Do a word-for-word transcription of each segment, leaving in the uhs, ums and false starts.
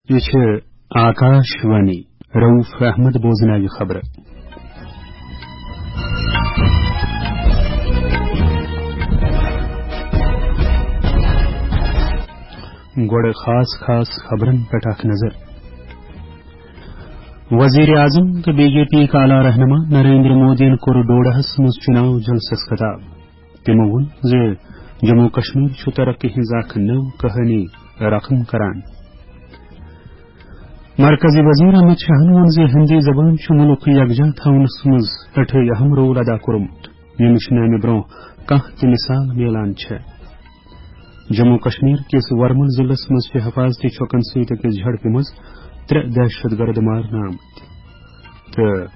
یہِ چھِ آکاش وانی۔ رؤف احمد بوزناوِ خبرٕ۔ گۄڈٕ خاص خاص خبرن پٮ۪ٹھ اکھ نظر۔ وزیر اعظم تہٕ بی جے پی اعلیٰ رہنما نریندر مودیَن کوٚر ڈوڈاہس منٛز چُناو جلسس خطاب۔ تِمو ووٚن زِ جموں کشمیر چھُ ترقی ہٕنٛز اکھ نٔو کہانی رقم کران۔ مرکزی وزیر احمد شاہن ووٚن زِ ہندی زبان چھُ مُلک یکجا تھاونس منٛز سٮ۪ٹھاہ اہم رول ادا کوٚرمُت، ییٚمِچ نہٕ امہِ برونٛہہ کانٛہہ تہِ مثال میلان چھےٚ۔ جموں کشمیر کِس ورمل ضلعس منٛز چھِ حفاظتی چھۄکن سۭتۍ أکِس جھڑپہِ منٛز ترٛےٚ دہشت گرد مارنہٕ آمٕتۍ تہٕ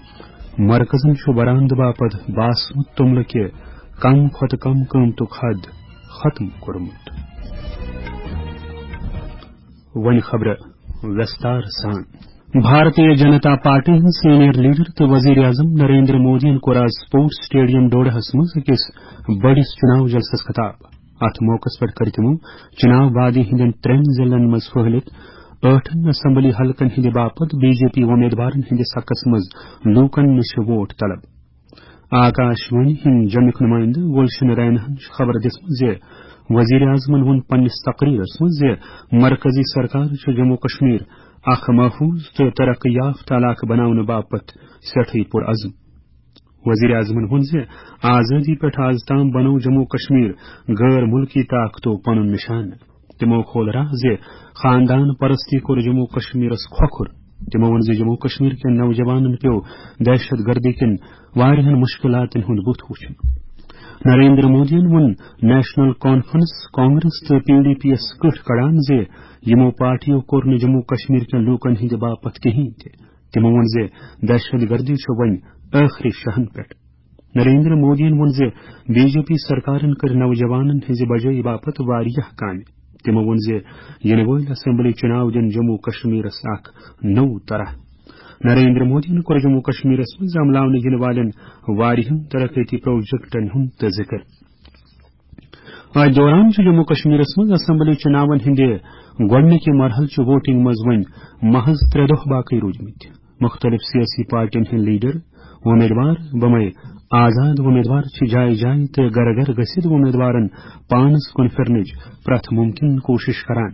مرکزن چھُ برآمدٕ باپتھ باسمت توٚملہٕ کہِ کم کھۄتہٕ کم قۭمتُک حد ختم کوٚرمُت۔ وۄنۍ خبرٕ وستار سان۔ بھارتیہ جنتا پارٹی ہٕنٛدۍ سینئر لیڈر تہٕ وزیر اعظم نریندر مودیَن کوٚر آز سپورٹس سٹیڈیم ڈوڈہس منٛز أکِس بٔڑِس چُناو جلسس خطاب۔ اتھ موقعس پٮ۪ٹھ کٔر تِمو چُناو وادی ہٕنٛدٮ۪ن ترٛٮ۪ن ضلعن منٛز پھٔہلِتھ ٲٹھن اسمبلی حلقن ہٕنٛدِ باپتھ بی جے پی وۄمیدوارن ہٕنٛدِس حقس منٛز لوٗکن نِش ووٹ طلب۔ آکاش وانی ہٕنٛدۍ جمِک نُمٲیندٕ گلشن ریناہن چھِ خبر دِژمٕژ زِ وزیر اعظمن ووٚن پننِس تقریرس منٛز زِ مرکزی سرکار چھُ جموں کشمیر اکھ محفوظ تہٕ ترقی یافتہٕ علاقہٕ بناونہٕ باپتھ سٮ۪ٹھٕے پُرعزم۔ وزیر اعظمن ووٚن زِ آزٲدی پٮ۪ٹھ آز تام بنوو جموں کشمیر غٲر مُلکی طاقتو پنُن نشانہٕ۔ تِمو کھول راہ زِ خاندان پرستی کوٚر جموں کشمیرس کھۄکھُر۔ تِمو ووٚن زِ جموں کشمیر کٮ۪ن نوجوانن پیوٚو دہشت گردی کٮ۪ن واریاہن مشکلاتن ہُنٛد بُتھ وُچھُن۔ نریندر مودیَن ووٚن نیشنل کانفرنس، کانگریس تہٕ پی ڈی پی یَس کٔٹھۍ کڑان زِ یِمو پارٹیو کوٚر نہٕ جموں کشمیر کٮ۪ن لوٗکن ہٕنٛدِ باپتھ کِہینۍ تہِ۔ تِمو ووٚن زِ دہشت گردی چھُ وۄنۍ ٲخری شاہن پٮ۪ٹھ۔ نریندر مودیَن ووٚن زِ بی جے پی سرکارن کٔرۍ نوجوانن ہٕنٛزِ بجٲیی باپتھ واریاہ کامہِ۔ تِمو ووٚن زِ یِنہٕ وٲلۍ اسمبلی چُناو دِن جموں کشمیرس اکھ نوٚو طرح۔ نریندر مودیَن کوٚر جموں کشمیرس منٛز عملاونہٕ یِنہٕ والٮ۪ن واریاہن ترقیتی پروجیکٹن ہُنٛد تہِ ذِکر۔ اتھ دوران چھُ جموں کشمیرس منٛز اسمبلی چُناون ہٕنٛدِ گۄڈٕنِکہِ مرحلہٕ چہِ ووٹنگ منٛز وۄنۍ محض ترٛےٚ دۄہ باقٕے روٗدمٕتۍ۔ مُختٔلِف سیٲسی پارٹین ہٕنٛدۍ لیڈر، وۄمیدوار، بمے آزاد وۄمیدوار چھِ جایہِ جایہِ تہٕ گرٕ گرٕ گٔژھِتھ وۄمیدوارن پانس کُن پھِرنٕچ پرٛٮ۪تھ مُمکِن کوٗشِش کران۔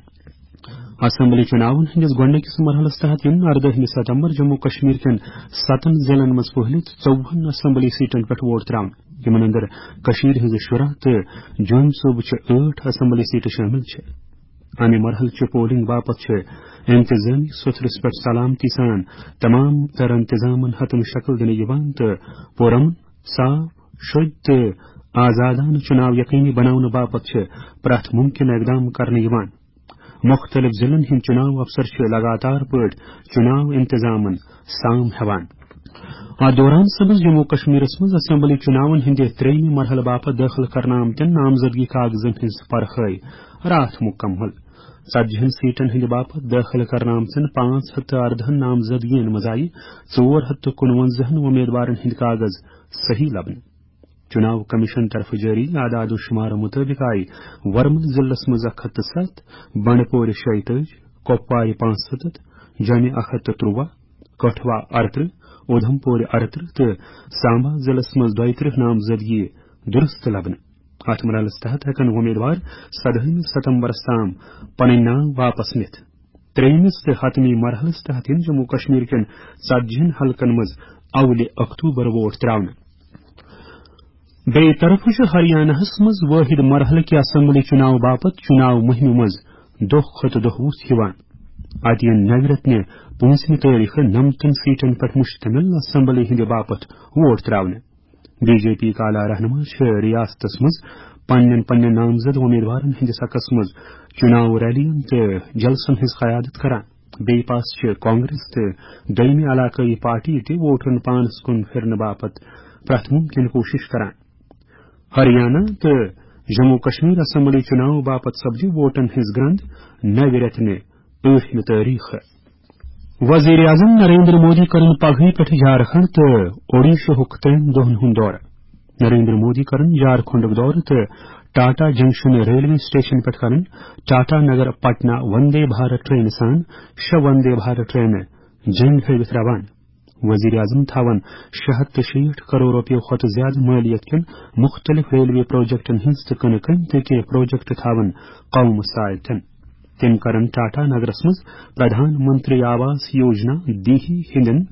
اسمبلی چُناون ہٕنٛدِس گۄڈٕنِکِس مرحلس تحت یِن اردٲہمہِ ستمبر جموں کشمیر کٮ۪ن ستن ضلعن منٛز پھٔہلِتھ ژوٚوُہن اسمبلی سیٹن پٮ۪ٹھ ووٹ ترٛاونہٕ، یِمن اندر کٔشیٖرِ ہٕنٛزٕ شُراہ تہٕ جوٚمۍ صوبہٕ چہِ ٲٹھ اسمبلی سیٹہٕ شٲمِل چھِ۔ امہِ مرحلہٕ چہِ پولنگ باپتھ چھِ انتظامی سوٚتھرِس پٮ۪ٹھ سلامتی سان تمام تر انتظامن حتمی شکل دِنہٕ یِوان تہٕ پُرامن، صاف، شوٚدۍ تہٕ آزادانہٕ چُناو یقینی بناونہٕ باپتھ چھِ پرٛٮ۪تھ مُمکِن اقدام کرنہٕ یِوان۔ مُختٔلِف ضلعن ہٕنٛدۍ چُناو افسر چھِ لگاتار پٲٹھۍ چُناو انتظامن سام ہٮ۪وان۔ اتھ دوران سپٕز جموں کشمیرس منٛز اسمبلی چُناون ہٕنٛدِ ترٛیٚیمہِ مرحلہٕ باپتھ دٲخل کرنہٕ آمتٮ۪ن نامزدگی کاغذن ہٕنٛز پرخٲے راتھ مُکمل۔ ژتجی ہن سیٹن ہٕنٛدِ باپتھ دٲخل کرنہٕ آمژن پانٛژھ ہتھ تہٕ اردہن نامزدگین منٛز آیہِ ژور ہتھ تہٕ کُنونزہن وۄمیدوارن ہٕنٛدۍ کاغذ صحیح لبنہٕ۔ چُناو کمیشن طرفہٕ جٲری اعداد و شمارٕ مُطٲبِق آیہِ ورمل ضلعس منٛز اکھ ہتھ تہٕ ستھ، بنڈپورِ شیٚیہِ تٲجی، کۄپوارِ پانٛژھ ستتھ، جوٚمہِ اکھ ہتھ تہٕ ترٛوواہ، کٹھوا ارترٕہ، اودھمپورِ ارترٕہ تہٕ سامبا ضلعس منٛز دۄیہِ ترٕٛہ نامزدگی درست لبنہٕ۔ اتھ مرحلس تحت ہٮ۪کن وۄمیدوار سدہٲیمہِ ستمبرس تام پنٕنۍ ناو واپس نِتھ۔ ترٛیٚیمِس تہٕ حتمی مرحلس تحت یِن جموں کشمیر کٮ۪ن ژتجی ہن حلقن منٛز اولِ اکتوبر ووٹ ترٛاونہٕ۔ بیٚیہِ طرفہٕ چھُ ہریاناہس منٛز وٲحد مرحلہٕ کہِ اسمبلی چُناو باپتھ چُناو مُہِمہِ منٛز دۄہ کھۄتہٕ دۄہ وُژھ یِوان۔ اتہِ یِن نوِ رٮ۪تہٕ نہِ پٲنٛژمہِ تٲریخہٕ نمتن سیٹن پٮ۪ٹھ مشتمل اسمبلی ہٕنٛدِ باپتھ ووٹ ترٛاونہٕ۔ بی جے پی اعلیٰ رہنما چھِ ریاستس منٛز پننٮ۪ن پننٮ۪ن نامزد وۄمیدوارن ہٕنٛدِس حقس منٛز چُناو ریلین تہٕ جلسن ہٕنٛز قیادت کران۔ بیٚیہِ پاس چھِ کانگریس تہٕ دوٚیمہِ علاقٲیی پارٹی تہِ ووٹرن پانس کُن پھِرنہٕ باپتھ پرٛٮ۪تھ مُمکِن کوٗشِش کران۔ ہریانہ تہٕ جموں کشمیر اسمبلی چُناو باپتھ سپدِ ووٹن ہٕنٛز گرٛنٛد نوِ رٮ۪تہٕ نہِ ٲٹھمہِ تٲریخہٕ۔ وزیر اعظم نریندر مودی کرن پگہٕے پٮ۪ٹھ جھارکھنڈ تہٕ اوڈیشہُک ترٛٮ۪ن دۄہن ہُنٛد دورٕ۔ نریندر مودی کرن جھارکھنڈُک دورٕ تہٕ ٹاٹا جنکشن ریلوے سٹیشن پٮ۪ٹھ کرن ٹاٹا نگر پٹنہ وندے بھارت ٹرینہِ سان شےٚ وندے بھارت ٹرینہٕ جنگ ہٲوِتھ روانہٕ۔ وزیر اعظم تھاوَن شےٚ ہَتھ تہٕ شیٹھ کرور رۄپیو کھۄتہٕ زیادٕ مٲلیت کٮ۪ن مُختٔلِف ریلوے پروجیکٹن ہٕنٛز تہٕ کٕنہٕ کٔنۍ تہِ کینٛہہ پروجیکٹ تھاوَن قومہٕ سۭتۍ۔ تِم کرن ٹاٹا نگرس منٛز پردھان منتری آواس یوجنا دیہی ہٕنٛدٮ۪ن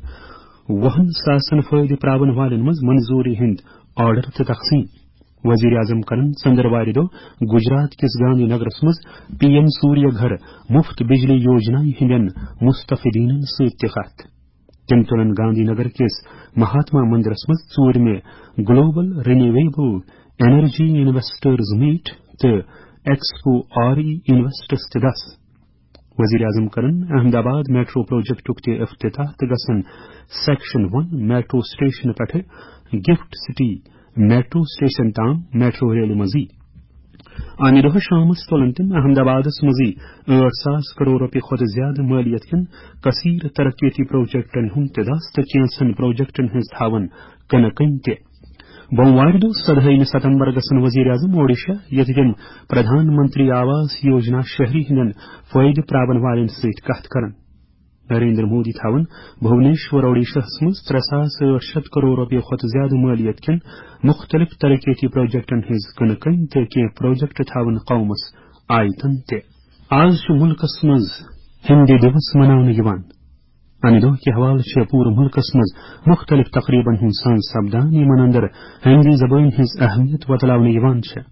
وُہن ساسن فٲیدٕ پراون والٮ۪ن منٛز منظوٗری ہٕنٛدۍ آرڈر تہٕ تقسیٖم۔ وزیر اعظم کرن ژندروارِ دۄہ گجرات کِس گاندھی نگرس منٛز پی ایم سوریہ گھر مفت بجلی یوجنا ہٕنٛدٮ۪ن مستفیدینن سۭتۍ تہِ کتھ۔ تِم تُلن گاندھی نگر کِس مہاتما مندرس منٛز ژوٗرمہِ global renewable energy investors meet تہٕ ایکسپو آر ای انویسٹس تہِ دس۔ وزیر اعظم کرن احمد آباد میٹرو پروجیکٹُک تہِ افتتاح تہٕ گژھن سیکشن ون میٹرو سٹیشن پٮ۪ٹھٕ گفٹ سٹی میٹرو سٹیشن تام میٹرو ریلہِ منٛزٕے۔ امہِ دۄہ شامس تُلن تِم احمد آبادس منٛزٕے ٲٹھ ساس کرور رۄپیہِ کھۄتہٕ زیادٕ مٲلیت کٮ۪ن کثیر ترقیتی پروجیکٹن ہُنٛد تہِ دس تہٕ کینٛژن پروجیکٹن ہٕنٛز تھاون کٕنہٕ کٔنۍ تہِ۔ بوموارِ دۄہ سدہٲیمہِ ستمبر گژھن وزیر اعظم اوڈیشہ، ییٚتہِ تِم پردھان منتری آواس یوجنا شہری ہٕنٛدٮ۪ن فٲیدٕ پراون والٮ۪ن سۭتۍ کتھ کرن۔ نریندر مودی تھاوَن بھونیشور اوڈیشاہس منٛز ترٛےٚ ساس ٲٹھ شیٚتھ کرور رۄپیہِ کھۄتہٕ زیادٕ مٲلیت کٮ۪ن مُختٔلِف ترقیتی پروجیکٹن ہٕنٛز کٕنہٕ کٔنۍ تہٕ کینٛہہ پروجیکٹ تھاوَن قومس آیتن تہِ۔ آز چھُ مُلکس منٛز ہِندی دِوس مناونہٕ یِوان۔ امہِ دۄہ کہِ حوالہٕ چھِ پوٗرٕ مُلکس منٛز مُختٔلِف تقریبن ہُنٛد سنز سپدان، یِمن اندر ہِندی زبٲنۍ ہٕنٛز اہمیت وۄتلاونہٕ یِوان چھےٚ۔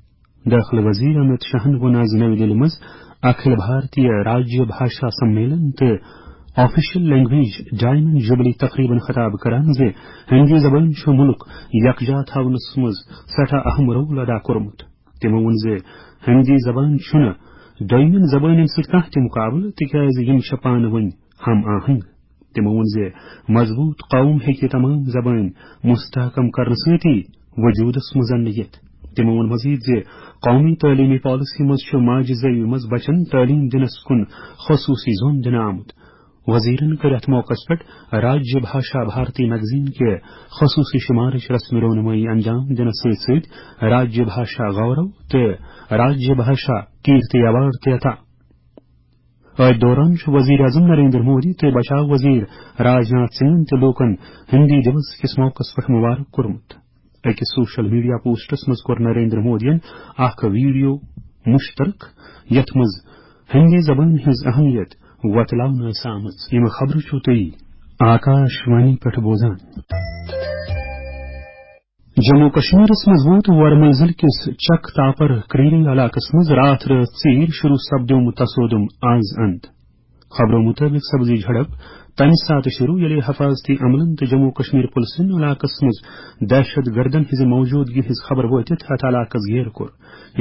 دٲخلہٕ وزیر امت شاہن ووٚن آز نَوِ دِلہِ منٛز اکھل بھارتیہ راجیہ بھاشا سمیلن تہٕ آفیشل لینگویج ڈایمنڈ جوبلی تقریبن خطاب کران زِ ہندی زبان چھُ مُلک یکجا تھاونس منٛز سٮ۪ٹھاہ اہم رول ادا کوٚرمُت۔ تِمو ووٚن زِ ہندی زبان چھُنہٕ دوٚیمٮ۪ن زبانن سۭتۍ کانٛہہ تہِ مقابلہٕ، تِکیازِ یِم چھِ پانہٕ ؤنۍ ہم آہنگ۔ تِمو ووٚن زِ مضبوٗط قوم ہیٚکہِ تمام زبٲنۍ مستحکم کرنہٕ سۭتی وجوٗدس منٛز اننہٕ یِتھ۔ تِمو ووٚن مزید زِ قومی تعلیمی پالیسی منٛز چھُ ماجہِ زیوِ منٛز بچن تعلیٖم دِنس کُن خصوٗصی زوٚن دِنہٕ آمُت۔ وزیرن کٔر اتھ موقعس پٮ۪ٹھ راجیہ بھاشا بھارتی میگزین کہِ خصوٗصی شُمارٕچ رسمی رونمٲیی انجام دِنس سۭتۍ سۭتۍ راجیہ بھاشا گورو تہٕ راجیہ بھاشا کیرتی ایوارڈ تہِ عطا۔ أتھۍ دوران چھُ وزیر اعظم نریندر مودی تہٕ بچاو وزیر راجناتھ سنگھن تہِ لوٗکن ہندی دِوس کِس موقعس پٮ۪ٹھ مبارک کوٚرمُت۔ أکِس سوشل میڈیا پوسٹس منٛز کوٚر نریندر مودیَن اکھ ویڈیو مشترک، یتھ منٛز ہندی زبٲنۍ ہٕنٛز اہمیت وۄتلاونہٕ ٲس آمٕژ۔ یِم خبرٕ چھِو تُہۍ آکاش وانی پٮ۪ٹھ بوزان۔ جموں کشمیرس منٛز ووت ورمل ضلعہٕ کِس چک تاپر کریری علاقس منٛز راتھ رٲژ ژیٖرۍ شروع سپدیومُت تصادم آز اند۔ خبرو مطٲبق سپز یہِ جھڑپ تمہِ ساتہٕ شروع ییٚلہِ حفاظتی عملن تہٕ جموں کشمیر پُلسن علاقس منٛز دہشت گردن ہٕنٛزِ موجودگی ہٕنٛز خبر وٲتِتھ اتھ علاقس گیرٕ کوٚر۔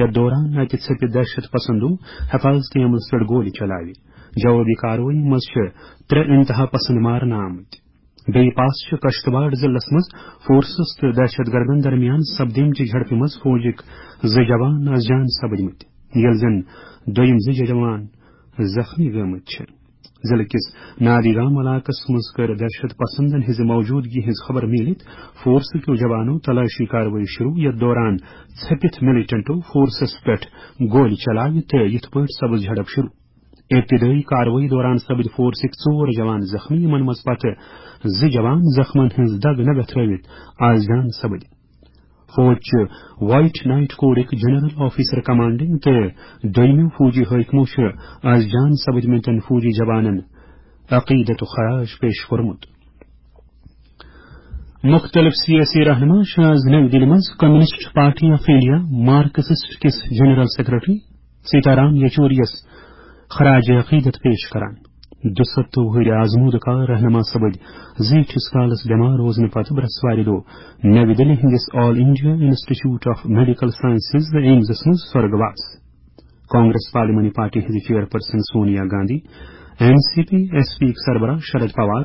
یتھ دوران اتہِ ژھپِتھ دہشت پسندو حفاظتی عملس پٮ۪ٹھ گولہِ چلاوِ۔ جوابی کاروٲیی منٛز چھِ ترٛےٚ انتہا پسند مارنہٕ آمٕتۍ۔ بیٚیہِ پاس چھِ کشتواڑ ضلعس منٛز فورسز تہٕ دہشت گردن درمیان سپدیمچہِ جھڑپہِ منٛز فوجٕکۍ زٕ جوان از جان سپدمٕتۍ، ییٚلہِ زن دوٚیِم زٕ جوان زخمی گٔمٕتۍ چھِ۔ ضلعہٕ کِس نادی گام علاقس منٛز کٔر دہشت پسندن ہٕنٛزِ موجودگی ہٕنٛز خبر میٖلِتھ فورسہٕ کیو جوانو تلاشی کاروٲیی شروع، یتھ دوران ژھپِتھ ملیٹنٹو فورسس پٮ۪ٹھ گولہِ چلاوِ تہٕ یِتھ پٲٹھۍ سپٕز جھڑپ شروع۔ ابتدٲیی کاروٲیی دوران سپٕدۍ فورسٕکۍ ژور جوان زخمی، یِمن منٛز پتہٕ زٕ جوان زخمن ہٕنٛز دگ نہ گتھرٲوِتھ آز جان سپٕدۍ۔ فوج چہِ وائٹ نائٹ کوڈٕکۍ جنرل آفیسر کمانڈنگ تہٕ دوٚیمِو فوجی حٲکمو چھِ آز جان سپٕدمٕتٮ۪ن فوجی جوانن عقیدت و خراج پیش کوٚرمُت۔ مُختٔلِف سیٲسی رہنما چھِ آز نَوِ دِلہِ منٛز communist party of India Marxist کِس جنرل سیکرٹری سیتارام یچوریَس خراج عقیدت پیش کران۔ دُسَتتھ وُہٕرۍ آزمودٕ کار رہنما سپٕدۍ زیٖٹھِس کالس بٮ۪مار روزنہٕ پتہٕ برٛٮ۪سوارِ دۄہ نَوِ دِلہِ ہٕنٛدِس all India institute of medical sciences ایمزس منٛز سۄرگواس۔ کانگریس پارلیمانی پارٹی ہٕنٛزِ chairperson Sonia Gandhi, N C P S P یِکۍ سربراہ Sharad Pawar,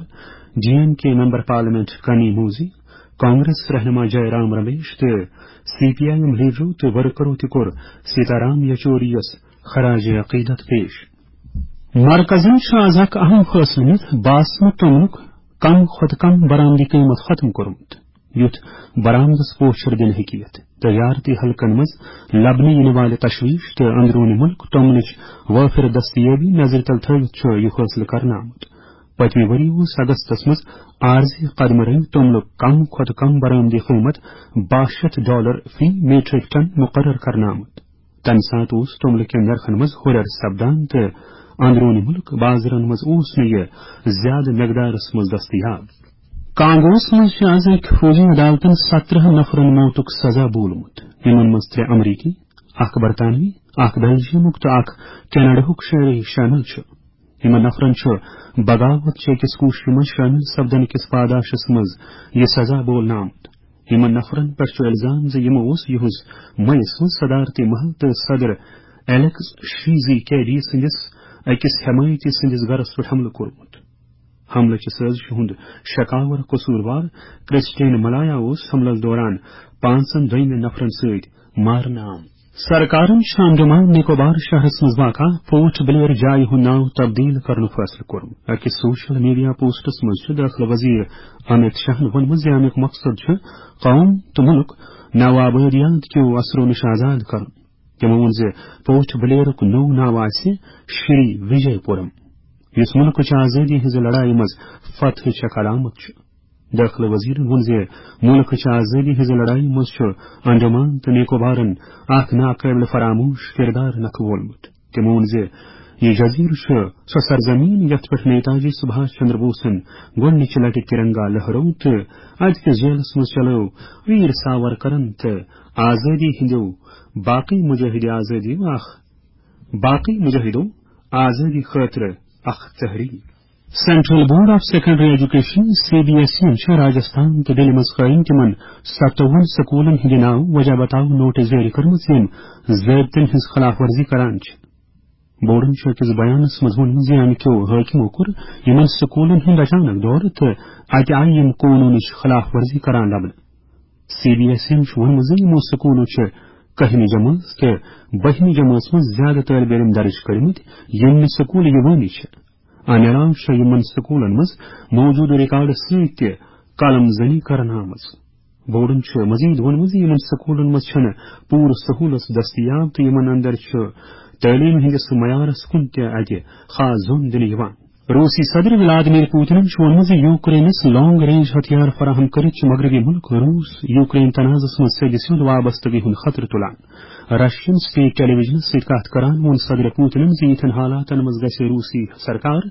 D M K member parliament Kanimozhi, Congress رہنما جے رام رمیش تہٕ سی پی آئی ایم لیڈرو تہٕ ورکرو تہِ کوٚر سیتارام یچوریَس خراج عقیدت پیش۔ مرکزن چھُ از اکھ اہم فٲصلہٕ نِتھ باسمت توٚملُک کم کھۄتہٕ کم برآمدی قۭمتھ ختم کوٚرمُت۔ یُتھ برآمدس پوچھر دِنہٕ ہیٚکہِ یِتھ۔ تجارتی حلقن منٛز لبنہٕ یِنہٕ والہِ تشویش تہٕ اندرونی ملک توٚملٕچ وٲفر دستیٲبی نظرِ تل تھٲوِتھ چھُ یہِ فٲصلہٕ کرنہٕ آمُت۔ پٔتمہِ ؤری اوس اگستس منٛز عارضی قدمہٕ رنگۍ توٚملُک کم کھۄتہٕ کم برآمدی قۭمت باہ شیتھ ڈالر فی میٹرک ٹن مقرر کرنہٕ آمُت۔ تَمہِ ساتہٕ اوس توٚملہٕ کٮ۪ن نرخن منٛز ہُرٮ۪ر سپدان تہٕ اندروٗنی مُلک بازرن منٛز اوس نہٕ یہِ زیادٕ مقدارس منٛز دٔستیاب۔ کانگوس منٛز چھِ آز أکۍ فوجی عدالتن سترہ نفرن موتُک سزا بولمُت، یِمن منٛز ترٛےٚ امریکی، اکھ برطانوی، اکھ بیلجیمُک تہٕ اکھ کینیڈاہُک شہری شٲمِل چھُ۔ یِمن نفرن چھُ بغاوت چہِ أکِس کوٗششہِ منٛز شٲمِل سپدن کِس پاداشس منٛز یہِ سزا بولنہٕ آمُت۔ یِمن نفرن پٮ۪ٹھ چھُ الزام زِ یِمو اوس یِہُنٛز مئی یَس منٛز صدارتی محل تہٕ صدر ایلیکس شیزی کیڈی سٕنٛدِس أکِس حمایتی سٕنٛدِس گرس پٮ۪ٹھ حملہٕ کوٚرمُت۔ حملہٕ کِس سٲزشہِ ہُنٛد شکاور قصوٗروار کرسٹین ملایا اوس حملس دوران پانٛژن دوٚیمٮ۪ن نفرن سۭتۍ مارنہٕ آمُت۔ سرکارن چھُ انڈمان نکوبار شہرس منٛز واقع پورٹ بلیر جایہِ ہُنٛد ناو تبدیل کرنُک فٲصلہٕ کوٚرمُت۔ أکِس سوشل میڈیا پوسٹس منٛز چھُ دٲخلہٕ وزیر امت شاہن ووٚنمُت زِ امیُک مقصد چھُ قوم تہٕ مُلک نوآبادیات کیو اثرو نِش آزاد کرُن۔ تِمو ووٚن زِ پورٹ بلیرُک نوٚو ناو آسہِ شری وجے پورم، یُس مُلکٕچ آزٲدی ہٕنٛزِ لڑایہِ منٛز فتحٕچ اکھ علامت چھُ۔ دٲخلہٕ وزیرن ووٚن زِ مُلکٕچ آزٲدی ہٕنٛزِ لڑایہِ منٛز چھُ انڈمان تہٕ نکوبارن اکھ ناقٲبلِ فراموش کردار نکھٕ وولمُت۔ تٔمۍ ووٚن زِ یہِ جزیرٕ چھُ سۄ سرزمین یتھ پٮ۪ٹھ نیتاجی سبھاش چندر بوسن گۄڈٕنِچہِ لٹہِ ترنگا لہرو تہٕ اتہِ کِس جیلس منٛز چلٲو ویر ساورکرن تہٕ آزٲدی ہٕنٛدیو باقٕے مجاہدِ آزٲدی اکھ باقٕے مجاہدو آزٲدی خٲطرٕ اکھ تحریک۔ Central board of secondary education, C B S E, چھِ راجستھان تہٕ دِلہِ منٛز قٲیِم تِمن ستووُہن سکوٗلن ہٕنٛدِ ناوٕ وجہ بتاو نوٹس جٲری کٔرمٕژ، یِم ضٲبطن ہٕنٛز خلاف ورزی کران چھِ۔ بورڈن چھُ أکِس بیانس منٛز ووٚنمُت زِ امہِ کیو حٲکمو کوٚر یِمن سکوٗلن ہُنٛد اچانک دورٕ تہٕ اتہِ آیہِ یِم قونوٗنٕچ خلاف ورزی کران لبنہٕ۔ سی بی ایس ای چھُ ووٚنمُت زِ یِمو سکوٗلو چھِ کٔہمہِ جمٲژ تہٕ بٔہمہِ جمٲژ منٛز زیادٕ طٲلبہِ علم درٕج کٔرمٕتۍ، یِم نہٕ سکوٗل یِوانٕے چھِ۔ امہِ علاوٕ چھےٚ یِمن سکوٗلن منٛز موجودٕ ریکارڈس سۭتۍ تہِ قلم زنی کرنہٕ آمٕژ۔ بورڈن چھُ مزید ووٚنمُت زِ یِمن سکوٗلن منٛز چھنہٕ پوٗرٕ سہوٗلژ دٔستیاب تہٕ یِمن اندر چھُ تعلیٖم ہٕنٛدِس معیارس کُن تہِ اتہِ خاص زوٚن دِنہٕ یِوان۔ روٗسی صدر ولادیمیر پوتنن چھُ ووٚنمُت زِ یوکرینس لانگ رینج ہتھیار فراہم کٔرِتھ چھُ مغربی مُلک روٗس یوکرین تنازعس منٛز سیٚدِ سیوٚد وابستگی ہُنٛد خطرٕ تُلان۔ رشین سٹیٹ ٹیلی ویژنس سۭتۍ کتھ کران ووٚن صدر پوتنن زِ یِتھٮ۪ن حالاتن منٛز گژھِ روٗسی سرکار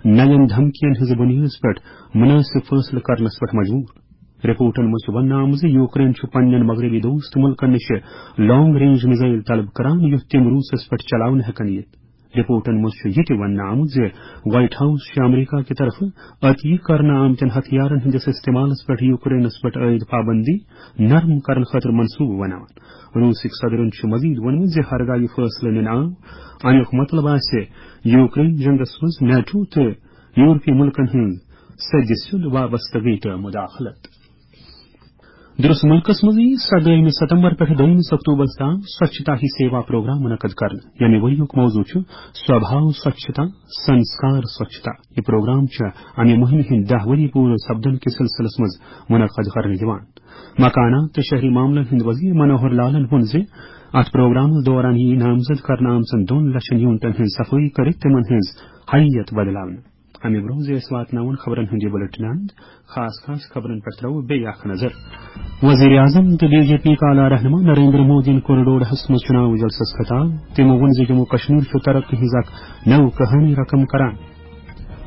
نوٮ۪ن دھمکین ہٕنٛزِ بُنیٲدس پٮ۪ٹھ مُنٲسِب فٲصلہٕ کرنس پٮ۪ٹھ مجبوٗر۔ رپورٹن منٛز چھُ وننہٕ آمُت زِ یوکرین چھُ پننٮ۪ن مغربی دوست مُلکن نِش لانگ رینج میزائل طلب کران، یُتھ تِم روٗسس پٮ۪ٹھ چلاونہٕ ہٮ۪کن یِتھ۔ رپورٹن منٛز چھُ یہِ تہِ وننہٕ آمُت زِ وائٹ ہاؤس چھُ امریکہ کہِ طرفہٕ عطیہ کرنہٕ آمتٮ۪ن ہتھیارن ہٕنٛدِس استعمالس پٮ۪ٹھ یوکرینس پٮ۪ٹھ عائد پابندی نرم کرنہٕ خٲطرٕ منصوبہٕ بناوان۔ روٗسٕکۍ صدرن چھُ مزید ووٚنمُت زِ ہرگاہ یہِ فٲصلہٕ نِنہٕ آو، امیُک مطلب آسہِ یوکرین جنگس منٛز نیٹو تہٕ یورپی مُلکن ہٕنٛز سیٚدِ سیوٚد وابستگی تہٕ مداخلت۔ درست مُلکس منٛز یِیہِ سدٲہمہِ ستمبر پٮ۪ٹھ دوٚیمِس اکتوبرس تام سوچھتا ہی سیوا پروگرام منعقد کرنہٕ، ییٚمہِ ؤریُک موضوع چھُ سوبھاو سوچھتا، سنسکار سوچھتا۔ یہِ پروگرام چھُ امہِ مُہِمہِ ہٕنٛدۍ دَہ ؤری پوٗرٕ سپدن کِس سلسلس منٛز منعقد کرنہٕ یِوان۔ مکانات تہٕ شہری معاملن ہٕنٛدۍ وزیر منوہر لالن ووٚن زِ اتھ پروگرامس دوران یِیہِ نامزد کرنہٕ آمژن دۄن لچھن یونٹن ہٕنٛز صفٲیی کٔرِتھ تِمن ہٕنٛز حیثیت بدلاونہٕ۔ امہِ برونٛہہ زِ أسۍ واتناوون خبرن ہُنٛد یہِ بلیٹن اند، خاص خاص خبرن پٮ۪ٹھ ترٛاوو بیٚیہِ اکھ نظر۔ وزیر اعظم تہٕ بی جے پی کا اعلیٰ رہنما نریندر مودیَن کوٚر ڈوڈہس منٛز چُناوی جلسس خطاب۔ تِمو ووٚن زِ جموں کشمیر چھُ ترقی ہٕنٛز اکھ نٔو کہانی رقم کران۔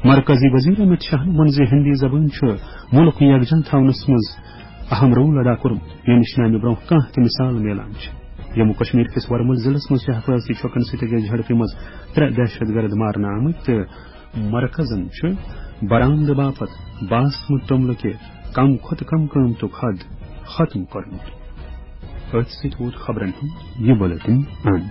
مرکزی وزیر امت شاہن ووٚن زِ ہندی زبٲنۍ چھُ مُلک یکجاہ تھاونس منٛز اہم رول ادا کوٚرمُت، ییٚمِچ نہٕ امہِ برونٛہہ کانٛہہ تہِ مثال میلان چھِ۔ جموں کشمیر کِس ورمُل ضلعس منٛز چھِ حفاظتی چھۄکن سۭتۍ أکِس جھڑپہِ منٛز ترٛےٚ دہشت گرد مارنہٕ آمٕتۍ تہٕ مرکزن چھُ برآمدٕ باپتھ باسمت توٚملہٕ کہِ کم کھۄتہٕ کم قۭمتُک حد ختم کوٚرمُت۔ أتھۍ سۭتۍ ووت خبرن ہُنٛد یہِ بُلٹن اند۔